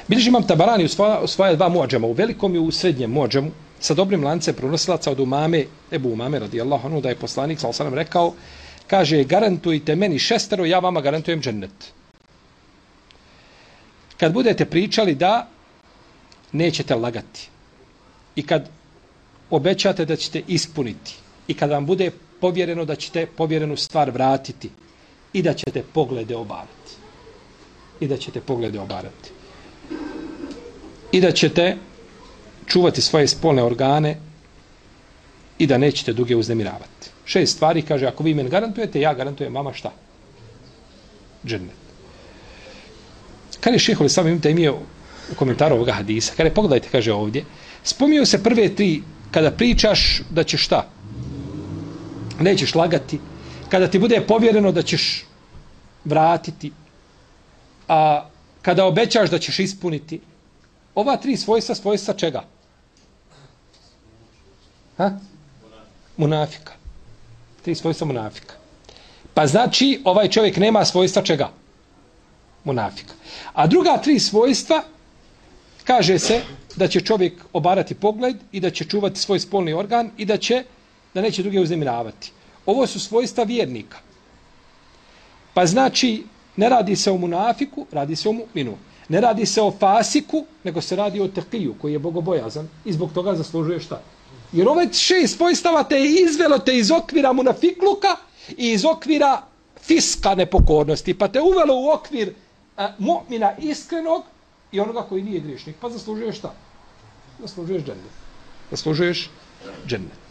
Bilježi imam Tabarani u svoja dva muadžama, u velikom i u srednjem muadžamu, sa dobrim lancem prenosilaca od Ebu Umame radijallahu anhu, da je poslanik sallallahu alejhi ve sellem rekao, kaže, garantujte meni 6, ja vama garantujem džennet. Kad budete pričali da nećete lagati i kad obećate da ćete ispuniti i kad vam bude povjereno da ćete povjerenu stvar vratiti i da ćete poglede obarati. I da ćete poglede obarati. I da ćete čuvati svoje spolne organe i da nećete druge uznemiravati. 6 stvari, kaže, ako vi meni garantujete, ja garantujem vama šta? Džennet. Kad je šehol sam imate imao u komentaru ovoga hadisa, kada je, pogledajte, kaže ovdje, spominju se prve 3, kada pričaš da ćeš šta? Nećeš lagati, kada ti bude povjereno da ćeš vratiti, a kada obećaš da ćeš ispuniti, ova 3 svojstva čega? Munafika. 3 svojstva munafika. Pa znači, ovaj čovjek nema svojstva čega? Munafika. A druga 3 svojstva, kaže se da će čovjek obarati pogled i da će čuvati svoj spolni organ i da neće druge uznemiravati. Ovo su svojstva vjernika. Pa znači, ne radi se o munafiku, radi se o mu'minu. Ne radi se o fasiku, nego se radi o tekiju, koji je bogobojazan i zbog toga zaslužuje šta? Jer ove 6 svojstava te je izvelo te iz okvira munafikluka i iz okvira fiska nepokornosti, pa te uvelo u okvir mu'mina iskrenog i onoga koji nije griješnik. Pa zaslužuješ šta? Zaslužuješ džennet. Zaslužuješ džennet.